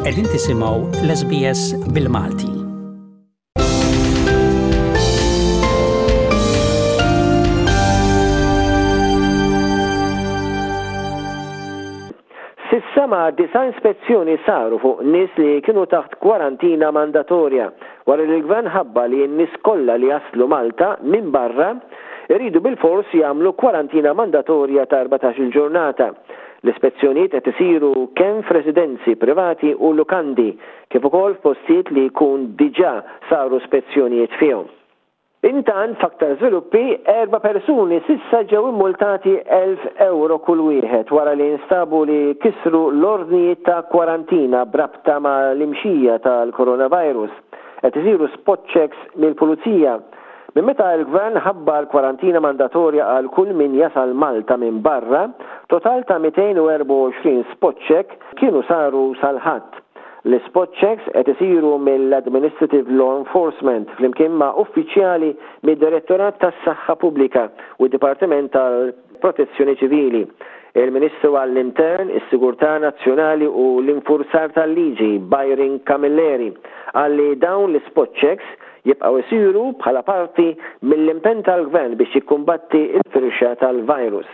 Qegħdin tisimgħu l-SBS bil-Malti. S'issa ma' disa' ispezzjoni saru fuq nies li kienu taħt kwarantina mandatorja wara li l-Gvern ħabbar li n-nies kollha li jaslu Malta minn barra jridu bilfors jagħmlu kwarantina mandatorja ta' 14-il ġurnata. L-ispezzjonijiet qed isiru kemm f'residenzi privati u lukandi kif ukoll f'postijiet li jkun diġà saru spezzjonijiet fihom. Intant, f'aktar żviluppi, erba' persuni s'issa ġew immultati 1,000 ewro kull wieħed wara li nstabu li kisru l-ordnijiet ta' kwarantina b'rabta ma' l-imxija tal-coronavirus. Qed isiru spot checks mill-Pulizija. Minn meta l-Gvern ħabbar kwarantina mandatorja għal kull min jasal Malta minn barra, total ta' 224 spot check kienu saru sal-Ħadd. L-ispot checks qed isiru mill-Administrative Law Enforcement flimkien ma' uffiċjali mid-Direttorat tas-Saħħa Pubblika u d-Dipartiment tal-Protezzjoni Ċivili. Il-Ministru għall-Intern, is-Sigurtà Nazzjonali u l-Infurzar tal-Liġi, Byron Camilleri, qal li dawn l-ispot checks jibqgħu jsiru bħala parti mill-impenn tal-Gvern biex jikkumbatti l-firxa tal-virus.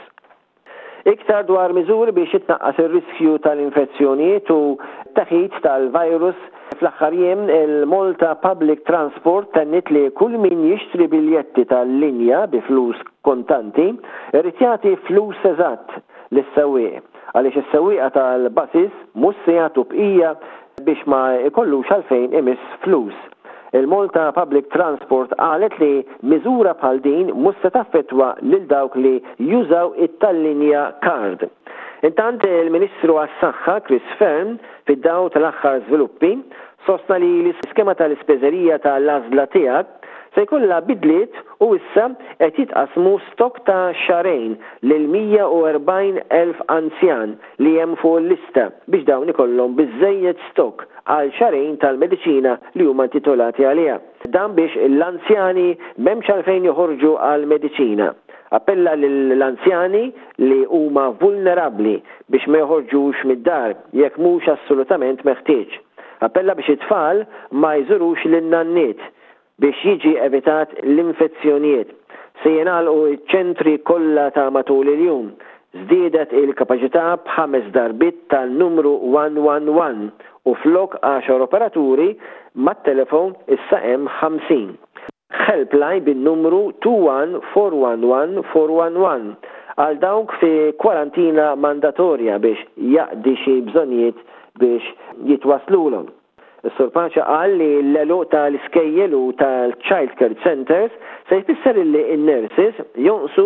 Iktar dwar miżuri biex jitnaqqas ir-riskju tal-infezzjonijiet u t-teħid tal-virus Fl-aħħar jiem, il-Malta Public Transport tenniet li kull min jixtri biljetti tal-linja bi flus kontanti irid jagħti flus eżatt lis-sewwieq għaliex is-sewwieqa tal-buses mhux se jagħtu bqija biex ma jkollux għalfejn imiss flus. Il-Malta Public Transport qalet li miżura bħal din mhux se taffettwa lil dawk li jużaw it-Tallinja Card. Intant, il-Ministru għas-Saħħa Chris Fearne, fid-dawl tal-aħħar żviluppi, sostna li l-iskema tal-ispiżerija ta' l-għażla tiegħek se jkollha bidliet u issa qed jitqassmu stokk ta' xahrejn lil 140,000 anzjan li hemm fuq il-lista biex dawn ikollhom biżżejjed stokk għal xahrejn tal-mediċina li huma intitolati għaliha. Dan biex l-anzjani m'hemmx għalfejn joħorġu għall-mediċina. Appella lill-anzjani li huma vulnerabbli biex ma joħorġux mid-dar jekk mhux assolutament meħtieġ. Appella biex it-tfal ma jżurux lin-nanniet Biex jiġi evitat l-infezzjonijiet, se jingħalqu ċ-ċentri kollha ta' matul il-jum. Żdiedet il-kapaċità b'ħames darbiet tan-numru 111 u flok għaxar operaturi mat-telefon issa hemm 50. Helpline bin-numru 2141 411 għal dawk fi kwarantina mandatorja biex jaqdi xi bżonnijiet biex jitwasslulhom. Is-Sur Pace qal li l-għeluq ta' l-iskejjel u tal-child care centres se jfisser illi n-nurses jonqsu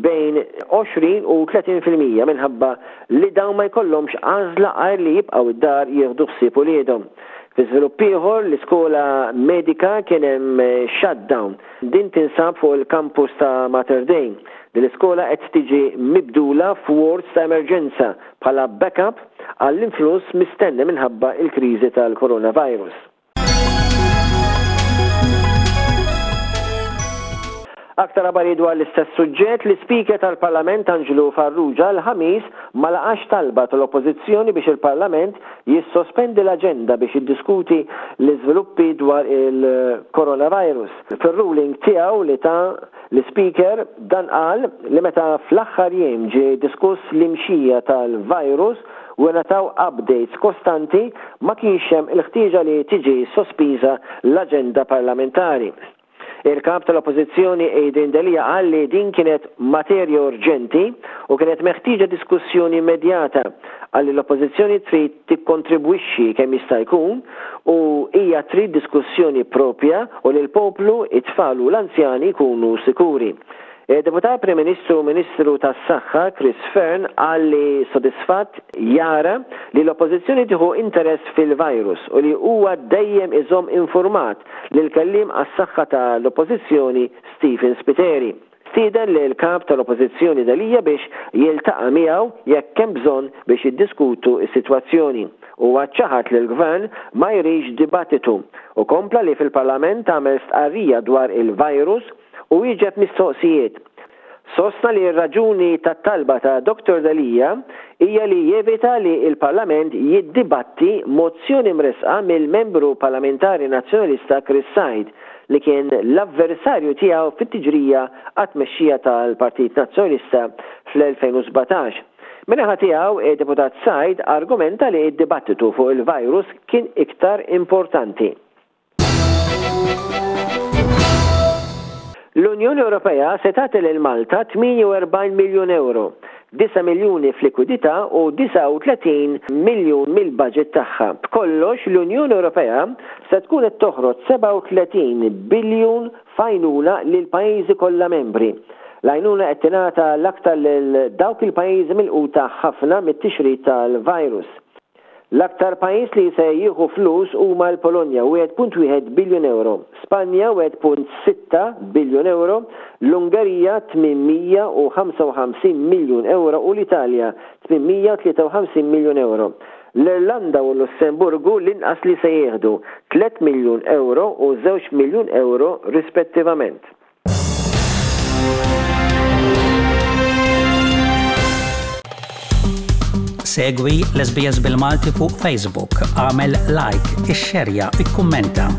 bejn 20 u 30% minħabba li dawn ma jkollhomx għażla għajr li jibqgħu d-dar jieħdu ħsieb uliedhom. Fi żvilupp ieħor, l-iskola medika kien hemm shutdown. Din tinsab fuq il-campus ta' Mater Dei. Din l-iskola qed tiġi mibdula f'wards ta' emerġenza bħala backup għall-influss mistenni minħabba l-kriżi tal-coronavirus. Aktar aħbarijiet dwar l-istess suġġett, l-Ispeaker tal-Parlament Anġlu Farrugia l-Ħamis ma laqax talba tal-Oppożizzjoni biex il-Parlament jissospendi l-aġenda biex jiddiskuti l-iżviluppi dwar il-coronavirus. Fir-ruling tiegħu li ta L-Ispeaker dan qal li meta fl-aħħar jiem ġie diskuss l-imxija tal-virus u ingħataw updates kostanti ma kienx hemm il-ħtieġa li tiġi sospiża l-aġenda parlamentari. Il-Kap tal-Oppożizzjoni Adrian Delia qal li din kienet materja urġenti u kienet meħtieġa diskussjoni immedjata. Qal li l-Oppożizzjoni trid tikkontribwixxi kemm jista' jkun u hija trid diskussjoni proprja u li l-poplu, it-tfal u l-anzjani jkunu sikuri. Id-Deputat Prim Ministru u Ministru tas-Saħħa Chris Fearne qal li sodisfatt jara li l-Oppożizzjoni tieħu interess fil-virus u li huwa dejjem iżomm infurmat lill-Kelliem għas-Saħħa ta' l-Oppożizzjoni Stephen Spiteri. Stieden lill-Kap tal-Oppożizzjoni Delia biex jiltaqa' miegħu jekk hemm bżonn biex jiddiskutu s-sitwazzjoni. Huwa ċaħad li l-Gvern ma jridx dibattitu u kompla li fil-Parlament għamel stqarrija dwar il-virus u wieġeb mistoqsijiet. Sostna li r-raġuni tat-talba ta' Dottor Delia hija li jevita li l-Parlament jiddibatti mozzjoni mressqa mill-Membru Parlamentari Nazzjonalista Chris Said li kien l-avversarju tiegħu fit-tiġrija għat-tmexxija tal-Partit Nazzjonalista fl-2017. Min-naħa tiegħu, id-Deputat Said argumenta li d-dibattitu fuq il-virus kien iktar importanti. L-Unjoni Ewropea se tagħti lil Malta 48 miljun ewro, 9 miljuni f'likwidità u 39 miljun mill-baġit tagħha. B'kollox, l-Unjoni Ewropea se tkun qed toħroġ 37 biljun f'għajnuna lill-pajjiżi kollha membri. L-għajnuna qed tingħata l-aktar lil dawk il-pajjiżi milquta ħafna mit-tixrid tal-virus. L-aktar pajjiż li se jieħu flus huma l-Polonja, 1.1 biljun ewro, Spanja, 1.6 biljun ewro, l-Ungerija, 855 miljun ewro u l-Italja, 853 miljun ewro. L-Irlanda u l-Lussemburgu l-inqas li se jieħdu, tliet miljun ewro u żewġ miljun ewro rispettivament. Segwi l-SBS bil-Malti fuq Facebook, għamel like, ixxerja, ikkummenta.